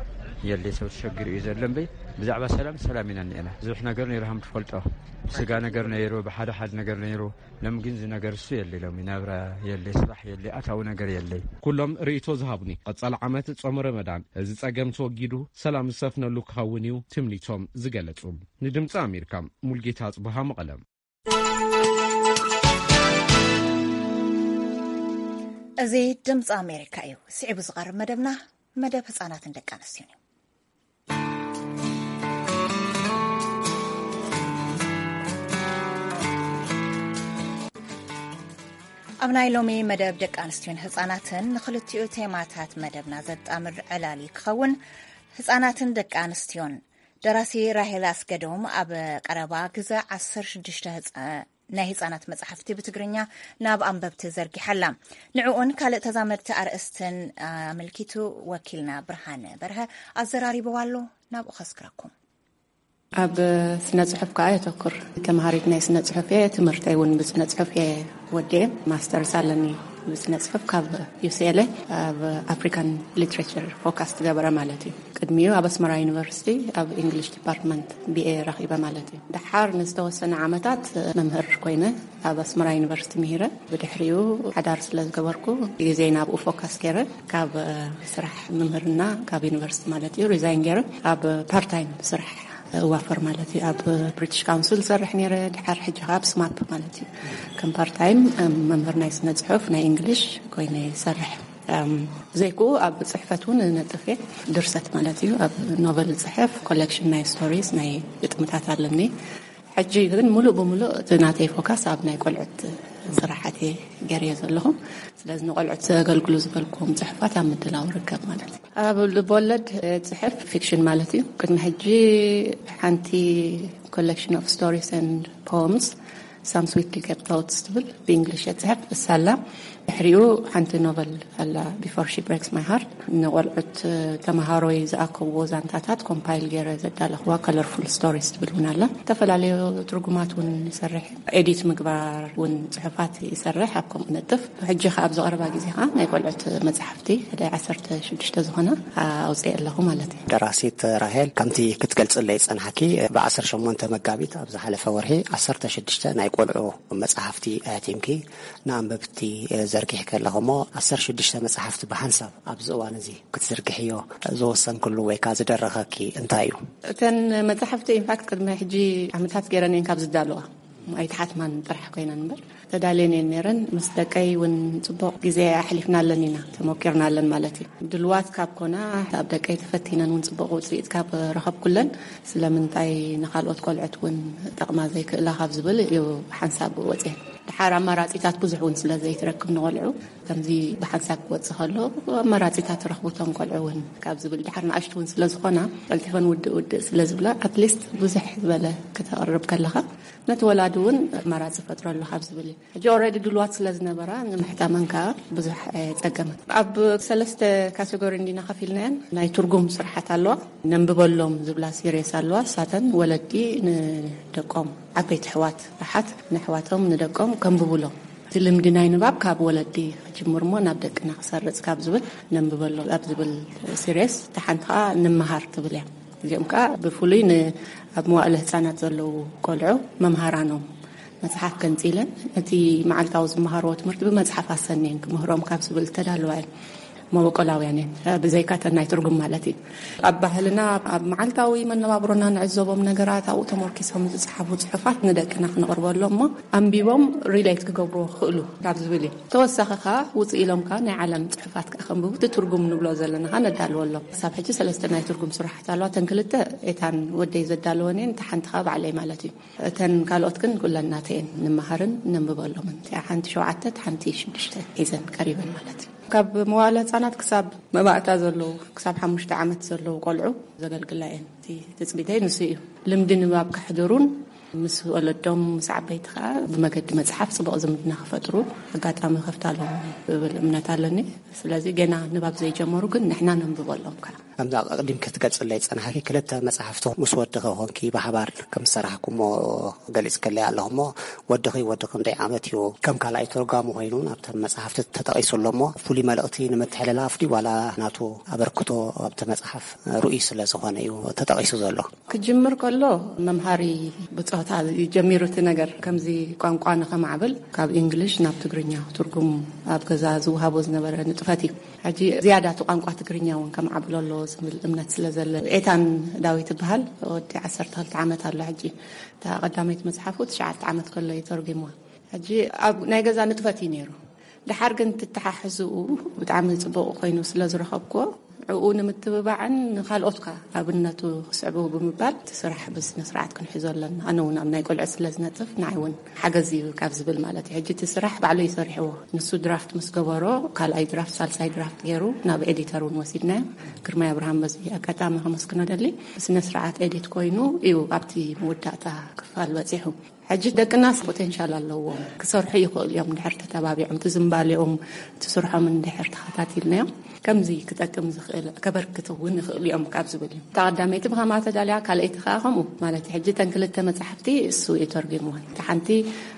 የለ፣ ሰብ ተሸግር እዩ ዘሎ እምበይ። ብዛዕባ ሰላም፣ ሰላም ኢና እኒአና። ብዙሕ ነገር ነይሩ ሃም ትፈልጦ፣ ብስጋ ነገር ነይሩ፣ ብሓደ ሓደ ነገር ነይሩ። ሎም ግን እዚ ነገር እሱ የለ፣ ሎም ናብራ የለ፣ ስራሕ የለ፣ ኣታዊ ነገር የለ። ኩሎም ርእይቶ ዝሃቡኒ፣ ቀጻሊ ዓመት ጾም ረመዳን እዚ ጸገም ተወጊዱ ሰላም ዝሰፍነሉ ክኸውን እዩ ትምኒቶም ዝገለጹ። ንድምጺ ኣሜሪካ፣ ሙልጌታ ኣጽብሃ፣ መቐለ። እዚ ድምፂ ኣሜሪካ እዩ። ስዒቡ ዝቐርብ መደብና መደብ ህፃናትን ደቂ ኣንስትዮን እዩ። ኣብ ናይ ሎሚ መደብ ደቂ ኣንስትዮን ህፃናትን ንክልቲኡ ቴማታት መደብና ዘጣምር ዕላል ክኸውን ህፃናትን ደቂ ኣንስትዮን። ደራሲ ራሄል ኣስገዶም ኣብ ቀረባ ግዘ ዓሰርተ ሽዱሽተ ህፃ-፣ ናይ ህፃናት መፅሓፍቲ ብትግርኛ ናብ ኣንበብቲ ዘርጊሓላ። ንዕኡን ካልእ ተዛመድቲ ኣርእስትን ኣመልኪቱ ወኪልና ብርሃነ በርሀ ኣዘራሪብዋ ኣሎ። ናብኡ ከስክረኩም። ኣብ ስነ ጽሑፍ ከኣ የተኩር። ተምሃሪት ናይ ስነ ጽሑፍ እየ። ትምህርተይ እውን ብስነ ጽሑፍ እየ ወዲኤ። ማስተርስ ኣለኒ ብስነ ጽሑፍ ካብ ዩ ሲ ኤል ኤ፣ ኣብ ኣፍሪካን ሊትሬቸር ፎካስ ትገበረ ማለት እዩ። ቅድሚኡ ኣብ ኣስመራ ዩኒቨርሲቲ ኣብ ኢንግሊሽ ዲፓርትመንት ቢ ኤ ረኺበ ማለት እዩ። ደሓር ንዝተወሰነ ዓመታት መምህር ኮይነ ኣብ ኣስመራ ዩኒቨርሲቲ ምሂረ። ብድሕሪኡ ሓዳር ስለ ዝገበርኩ ግዜይ ናብኡ ፎካስ ገይረ፣ ካብ ስራሕ ምምህርና ካብ ዩኒቨርሲቲ ማለት እዩ ሪዛይን ገይረ ኣብ ፓርታይም ስራሕ እዋፈር ማለት እዩ። ኣብ ብሪቲሽ ካውንስል ዝሰርሕ ነይረ። ድሓር ሕጂ ከኣ ኣብ ስማፕ ማለት እዩ ከም ፓርታይም መምህር ናይ ስነ ጽሑፍ ናይ እንግሊሽ ኮይነ ይሰርሕ። እም፣ ዘይኩ ኣብ ጽሕፈት እውን ነጥፍ እየ። ድርሰት ማለት እዩ። ኣብ ኖቨል ጽሕፍ፣ ኮሌክሽን ናይ ስቶሪስ፣ ናይ ግጥምታት ኣለኒ። ሕጂ ግን ሙሉእ ብሙሉእ እቲ ናተይ ፎካስ ኣብ ናይ ቆልዑት ስራሓት እየ ገይረዮ ዘለኹ። ስለዚ ንቆልዑት ዘገልግሉ ዝበልኩም ጽሑፋት ኣብ ምድላው ርከብ ማለት እዩ። ኣብ ልብወለድ ጽሕፍ ፊክሽን ማለት እዩ። ቅድሚ ሕጂ ሓንቲ ኮሌክሽን ኦፍ ስቶሪስ ኤንድ ፖምስ ሳም ስዊት ዲኬፕ ቶትስ ትብል ብእንግሊሽ እየ ጽሕፍ እሳላ። ድሕሪኡ ሓንቲ ኖቨል ኣላ ቢፎር ሺ ብሬክስ ማይ ሃርት፣ ንቆልዑት ተመሃሮይ ዝኣከብዎ ዛንታታት ኮምፓይል ገይረ ዘዳለኽዋ ከለርፉል ስቶሪስ ትብል እውን ኣላ። ዝተፈላለዩ ትርጉማት እውን ይሰርሕ፣ ኤዲት ምግባር እውን ጽሑፋት ይሰርሕ ኣብ ከምኡ ነጥፍ። ሕጂ ከኣ ኣብዚ ቀረባ ግዜ ከኣ ናይ ቆልዑት መጽሓፍቲ ሕደ ዓሰርተ ሽዱሽተ ዝኾና ኣውፅኤ ኣለኹ ማለት እዩ። ደራሲት ራሄል፣ ከምቲ ክትገልጽለይ ጸናሕኪ፣ ብ ዓሰርተ ሸሞንተ መጋቢት ኣብ ዝሓለፈ ወርሒ ዓሰርተ ሽዱሽተ ናይ ቆልዑ መጽሓፍቲ ኣሕቲምኪ ንኣንበብቲ ዘርጊሕኪ ኣለኹ እሞ፣ ዓሰርተ ሽዱሽተ መጽሓፍቲ ብሓንሳብ ኣብዚ እዋን እዚ ክትዝርግሕዮ ዝወሰንክሉ ወይ ከኣ ዝደረኸኪ እንታይ እዩ? እተን መጽሓፍቲ ኢንፋክት ቅድሚ ሕጂ ዓመታት ገይረን እየን ካብ ዝዳለዋ። ኣይተሓትማን ጥራሕ ኮይነን እምበር ተዳልየን እየን ነይረን። ምስ ደቀይ እውን ጽቡቕ ግዜ ኣሕሊፍና ኣለን ኢና፣ ተሞኪርና ኣለን ማለት እዩ። ድልዋት ካብ ኮና ኣብ ደቀይ ተፈቲነን እውን ጽቡቕ ውጽኢት ካብ ረኸብኩለን ስለምንታይ ንኻልኦት ቆልዑት እውን ጠቕማ ዘይክእላ ካብ ዝብል እዩ ሓንሳብ ወፅየን። ድሓር ኣማራፂታት ብዙሕ እውን ስለ ዘይትረክብ ንቆልዑ ከምዚ ብሓንሳብ ክወፅእ ከሎ ኣማራፂታት ረኽቡ እቶም ቆልዑ እውን ካብ ዝብል ድሓር ንኣሽቱ እውን ስለ ዝኾና ቀልጢፈን ውድእ ውድእ ስለ ዝብላ ኣትሊስት ብዙሕ ዝበለ ክተቕርብ ከለኻ ነቲ ወላዲ እውን ኣማራፂ ፈጥረሉ ካብ ዝብል እዩ። ሕጂ ኦልሬዲ ድልዋት ስለ ዝነበራ ንምሕታመን ከኣ ብዙሕ ኣየጸገመን። ኣብ ሰለስተ ካቴጎሪ እንዲና ከፊልናየን። ናይ ትርጉም ስራሓት ኣለዋ፣ ነንብበሎም ዝብላ ሲሪየስ ኣለዋ። እሳተን ወለዲ ንደቆም ዓበይቲ ኣሕዋት ኣሓት ንኣሕዋቶም ንደቆም ከንብቡሎም። እቲ ልምዲ ናይ ንባብ ካብ ወለዲ ክጅምር እሞ ናብ ደቅና ክሰርጽ ካብ ዝብል ነንብበሎም ኣብ ዝብል ሲሪየስ፣ እታ ሓንቲ ከኣ ንመሃር ትብል እያ። እዚኦም ከኣ ብፍሉይ ን-፣ ኣብ መዋእለ ህጻናት ዘለዉ ቆልዑ መምሃራኖም መጽሓፍ ገንጺለን፣ እቲ መዓልታዊ ዝመሃርዎ ትምህርቲ ብመጽሓፍ ኣሰንየን ክምህሮም ካብ ዝብል ዝተዳለዋ እየን። መበቆላውያን እየን፣ ብዘይካ እተን ናይ ትርጉም ማለት እዩ። ኣብ ባህልና፣ ኣብ መዓልታዊ መነባብሮና ንዕዘቦም ነገራት፣ ኣብኡ ተመርኪሶም ዝጸሓፉ ጽሑፋት ንደቅና ክነቕርበሎም እሞ፣ ኣንቢቦም ሪሌት ክገብርዎ ክኽእሉ ካብ ዝብል እዩ። ተወሳኺ ከኣ ውጽእ ኢሎም ከኣ ናይ ዓለም ጽሑፋት ከኣ ከንብቡ፣ እቲ ትርጉም ንብሎ ዘለና ከኣ ነዳልወሎም። ክሳብ ሕጂ ሰለስተ ናይ ትርጉም ስራሓት ኣለዋ። እተን ክልተ ኤታን ወደይ ዘዳለወን እየን፣ እታ ሓንቲ ከኣ ባዕለይ ማለት እዩ። እተን ካልኦት ግን ኩለን ናተይ እየን፣ ንመሃርን ነንብበሎምን። እቲኣ ሓንቲ ሸውዓተ፣ እታ ሓንቲ ሽዱሽተ ሒዘን ቀሪበን ማለት እዩ። ካብ መዋእለ ህጻናት ክሳብ መባእታ ዘለዉ፣ ክሳብ ሓሙሽተ ዓመት ዘለዉ ቆልዑ ዘገልግላ እየን። እቲ ትጽቢተይ ንሱ እዩ። ልምዲ ንባብ ከሕድሩን ምስ ወለዶም፣ ምስ ዓበይቲ ከኣ ብመገዲ መጽሓፍ ጽቡቕ ዝምድና ክፈጥሩ ኣጋጣሚ ከፍታሎም ዝብል እምነት ኣለኒ። ስለዚ ገና ንባብ ዘይጀመሩ ግን ንሕና ነንብበሎም ከኣ። ከምዛ ኣቕዲም ክትገልጽለይ ጸናሕኪ፣ ክልተ መጽሓፍቲ ምስ ወድኺ ኮንኪ ብሓባር ከም ዝሰራሕኩሞ ገሊጽክለይ ኣለኹሞ፣ ወድኺ ወዲ ክንደይ ዓመት እዩ? ከም ካልኣይ ተርጓሚ ኮይኑ ናብተን መጽሓፍቲ ተጠቒሱ ኣሎሞ፣ ፍሉይ መልእኽቲ ንምትሕልላፍ ድዩ ዋላ ናቱ ኣበርክቶ ኣብቲ መጽሓፍ ርኡይ ስለ ዝኾነ እዩ ተጠቒሱ ዘሎ? ክጅምር ከሎ መምሃሪ ብጾታ እዩ ጀሚሩ እቲ ነገር። ከምዚ ቋንቋ ንኸማዕብል ካብ እንግሊሽ ናብ ትግርኛ ትርጉም ኣብ ገዛ ዝወሃቦ ዝነበረ ንጥፈት እዩ። ሕጂ ዝያዳ እቲ ቋንቋ ትግርኛ እውን ከማዕብሎ ኣለዎ ዝብል እምነት ስለ ዘለ፣ ኤታን ዳዊት ይበሃል። ወዲ ዓሰርተ ክልተ ዓመት ኣሎ ሕጂ። እታ ቀዳመይቲ መጽሓፉ ትሽዓተ ዓመት ከሎ እዩ ተርጒምዋ። ሕጂ ኣብ ናይ ገዛ ንጥፈት እዩ ነይሩ። ደሓር ግን ትተሓሕዝኡ ብጣዕሚ ጽቡቕ ኮይኑ ስለ ዝረኸብኩዎ፣ ዕኡ ንምትብባዕን ንኻልኦት ከኣ ኣብነቱ ክስዕቡ ብምባል እቲ ስራሕ ብስነ ስርዓት ክንሕዞ ኣለና። ኣነ እውን ኣብ ናይ ቆልዑ ስለ ዝነጥፍ፣ ንዓይ እውን ሓገዝ እዩ ካብ ዝብል ማለት እዩ። ሕጂ እቲ ስራሕ ባዕሉ እዩ ሰሪሕዎ። ንሱ ድራፍት ምስ ገበሮ፣ ካልኣይ ድራፍት፣ ሳልሳይ ድራፍት ገይሩ ናብ ኤዲተር እውን ወሲድናዮ። ግርማይ ኣብርሃም በዚ ኣጋጣሚ ከመስግኖ ደሊ። ብስነ ስርዓት ኤዲት ኮይኑ እዩ ኣብቲ መወዳእታ ክፋል በጺሑ። ሕጂ ደቅናስ ፖቴንሻል ኣለዎም፣ ክሰርሑ ይኽእሉ እዮም። ድሕር ተተባቢዖም፣ እቲ ዝንባሌኦም፣ እቲ ስርሖምን ድሕር ተኸታቲልናዮም፣ ከምዚ ክጠቅም ዝኽእል፣ ከበርክት እውን ይኽእሉ እዮም ካብ ዝብል እዩ። እታ ቀዳመይቲ ብኸማ ተዳልያ፣ ካልኣይቲ ከኣ ከምኡ። ማለት ሕጂ እተን ክልተ መጻሕፍቲ እሱ እዩ ተርጒምወን። እታ ሓንቲ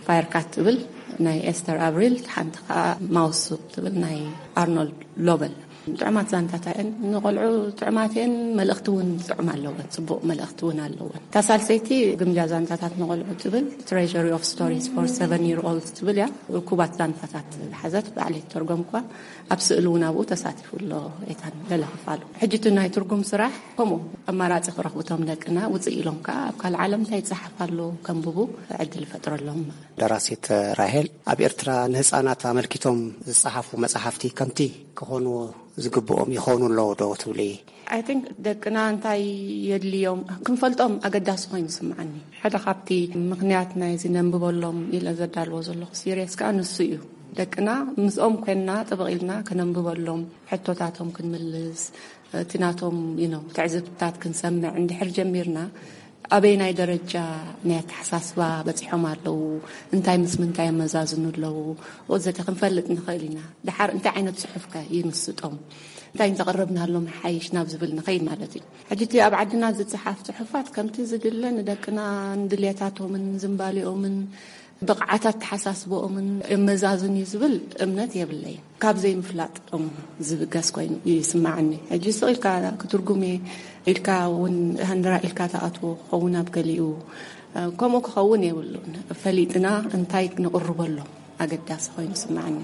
ፋየርካት ትብል ናይ ኤስተር ኣብሪል፣ እታ ሓንቲ ከኣ ማውስ ትብል ናይ ኣርኖልድ ሎበል። ጥዑማት ዛንታታት እየን፣ ንቖልዑ ጥዑማት እየን፣ መልእኽቲ እውን ጥዑም ኣለወን፣ ጽቡቕ መልእኽቲ እውን ኣለወን። እታ ሳልሰይቲ ግምጃ ዛንታታት ንቖልዑ ትብል፣ Treasury of Stories for Seven Year Olds ትብል እያ። እኩባት ዛንታታት ዝሓዘት ባዕለይ ተርጎምኳ፣ ኣብ ስእሊ እውን ኣብኡ ተሳቲፉ ኣሎ። ኤታን ገለ ክፋሉ። ሕጂ እቲ ናይ ትርጉም ስራሕ ከምኡ ኣማራጺ ክረኽቡ እቶም ደቅና፣ ውጽእ ኢሎም ከኣ ኣብ ካልእ ዓለም እንታይ ይጸሓፍ ኣሎ ከንብቡ ዕድል ይፈጥረሎም። ደራሲት ራሄል፣ ኣብ ኤርትራ ንህጻናት ኣመልኪቶም ዝጸሓፉ መጽሓፍቲ ከምቲ ክኾኑ ዝግብኦም ይኾኑ ኣለዉ ዶ ትብሊ? I think ደቅና እንታይ የድልዮም ክንፈልጦም ኣገዳሲ ኮይኑ ይስምዓኒ። ሓደ ካብቲ ምኽንያት ናይዚ ነንብበሎም ኢለ ዘዳልዎ ዘለኹ ሲሪየስ ከኣ ንሱ እዩ። ደቅና ምስኦም ኮይንና ጥብቕ ኢልና ክነንብበሎም፣ ሕቶታቶም ክንምልስ፣ እቲ ናቶም፣ you know፣ ትዕዝብትታት ክንሰምዕ እንድሕር ጀሚርና፣ ኣበየናይ ደረጃ ናይ ኣተሓሳስባ በጺሖም ኣለዉ፣ እንታይ ምስ ምንታይ የመዛዝኑ ኣለዉ ወዘተ ክንፈልጥ ንኽእል ኢና። ደሓር እንታይ ዓይነት ጽሑፍከ ይምስጦም፣ እንታይ እንተቕረብናሎም ይሓይሽ ናብ ዝብል ንኸይድ ማለት እዩ። ሕጂ እቲ ኣብ ዓድና ዝጸሓፍ ጽሑፋት ከምቲ ዝድለ ንደቅና ንድልየታቶምን ዝንባሌኦምን ብቕዓት ኣተሓሳስባኦምን የመዛዝን እዩ ዝብል እምነት የብለይን። ካብ ዘይምፍላጦም ዝብገስ ኮይኑ ይስምዓኒ። ሕጂ ስቕ ኢልካ ክትርጉም እየ ኢልካ እውን ሃንደራ ኢልካ ትኣትዎ ክኸውን ኣብ ገሊኡ፣ ከምኡ ክኸውን የብሉን። ፈሊጥና እንታይ ነቕርበሎም ኣገዳሲ ኮይኑ ይስምዓኒ።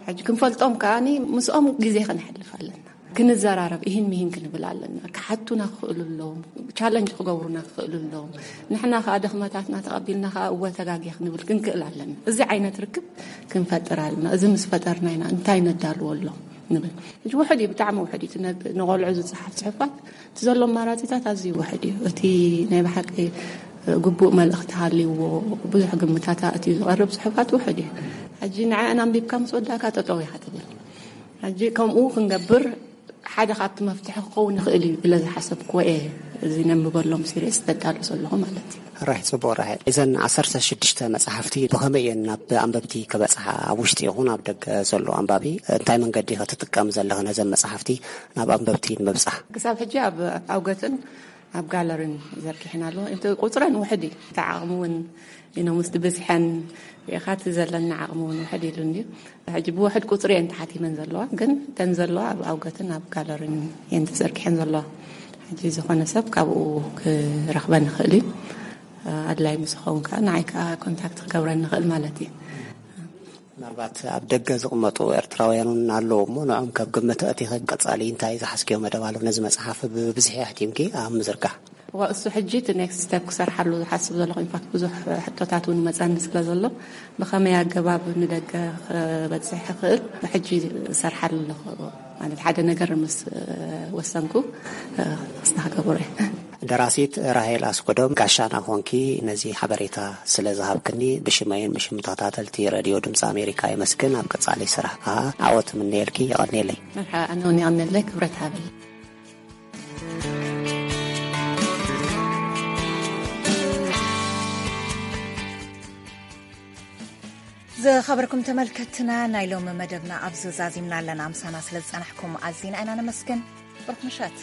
ሕጂ ክንፈልጦም ከኣ ምስኦም ግዜ ከነሕልፍ ኣለና። ክንዘራረብ፣ ኢሂን ሚሂን ክንብል ኣለና። ክሓቱና ክኽእሉ ኣለዎም፣ ቻለንጅ ክገብሩና ክኽእሉ ኣለዎም። ንሕና ከኣ ድኽመታትና ተቐቢልና ከኣ እወ ተጋግየ ክንብል ክንክእል ኣለና። እዚ ዓይነት ርክብ ክንፈጥር ኣለና። እዚ ምስ ፈጠርና ኢና እንታይ ነዳልዎ ኣሎ ንብል። ሕጂ ውሑድ እዩ፣ ብጣዕሚ ውሑድ እዩ። እቲ ነብ-፣ ንቖልዑ ዝጸሓፍ ጽሑፋት እቲ ዘሎ ኣማራጺታት ኣዝዩ ውሑድ እዩ። እቲ ናይ ብሓቂ ግቡእ መልእኽቲ ሃልይዎ ብዙሕ ግምታት ኣእትዩ ዝቐርብ ጽሑፋት ውሑድ እዩ። ሕጂ ንዕአን ኣንቢብካ ምስ ወዳእካ ጠጠው ኢኻ ትብል። ሕጂ ከምኡ ክንገብር ሓደ ካብቲ መፍትሒ ክኸውን ይኽእል እዩ ኢለ ዝሓሰብክዎ እየ እዚ ነንብበሎም ሲሪስ ዘዳሉ ዘለኹ ማለት እዩ። ራይ፣ ጽቡቕ ራይ። እዘን ዓሰርተ ሽዱሽተ መጽሓፍቲ ብኸመይ እየን ናብ ኣንበብቲ ክበጽሓ? ኣብ ውሽጢ ይኹን ኣብ ደገ ዘሎ ኣንባቢ እንታይ መንገዲ ኢኺ ትጥቀም ዘለኺ ነዘን መጽሓፍቲ ናብ ኣንበብቲ ንምብጻሕ? ክሳብ ሕጂ ኣብ ኣውገትን ኣብ ጋለሪን ዘርጊሐን ኣለዎ። እቲ ቁጽረን ውሕድ እዩ። እቲ ዓቕሚ እውን፣ you know፣ ምስቲ ብዝሐን ኢኻ እቲ ዘለና ዓቕሚ እውን ውሕድ ኢሉ እንድዩ። ሕጂ ብውሕድ ቁጽሪ እየን ተሓቲመን ዘለዋ፣ ግን እተን ዘለዋ ኣብ ኣውገትን ኣብ ጋለሪን እየን ተዘርጊሐን ዘለዋ። ሕጂ ዝኾነ ሰብ ካብኡ ክረኽበን ይኽእል እዩ። ኣድላይ ምስ ኸውን ከኣ ንዓይ ከኣ ኮንታክት ክገብረን ንኽእል ማለት እዩ። ምናልባት ኣብ ደገ ዝቕመጡ ኤርትራውያን እውን ኣለዉ እሞ፣ ንዖም ካብ ግምት ኣእቲኺ ቀጻሊ እንታይ ዝሓዝክዮ መደብ ኣሎ? ነዚ መጽሓፍ ብብዝሒ ኣሕቲምኪ ኣብ ምዝርጋሕ። እዋ፣ እሱ ሕጂ እቲ ኔክስት ስቴፕ ክሰርሓሉ ዝሓስብ ዘለኹ። ኢንፋክት ብዙሕ ሕቶታት እውን መጻኒ ስለ ዘሎ፣ ብኸመይ ኣገባብ ንደገ ክበጽሕ ይኽእል ሕጂ እሰርሓሉ ኣለኹ። ማለት ሓደ ነገር ምስ ወሰንኩ ክስታ ክገብሮ እየ። ደራሲት ራሄል ኣስቆዶም፣ ጋሻና ኾንኪ ነዚ ሓበሬታ ስለ ዝሃብክኒ ብሽመይን ብሽም ተኸታተልቲ ሬድዮ ድምፂ ኣሜሪካ የመስግን። ኣብ ቀጻሊ ስራሕ ከዓ ዓወት ምነየልኪ። የቐኔለይ። መርሓባ፣ ኣነ እውን የቐኔለይ። ክብረት ሃበል። ዝኸበርኩም ተመልከትና፣ ናይ ሎሚ መደብና ኣብዚ ዛዚምና ኣለና። ምሳና ስለ ዝጸናሕኩም ኣዚና ኢና ነመስግን። ብሩኽ ምሸት።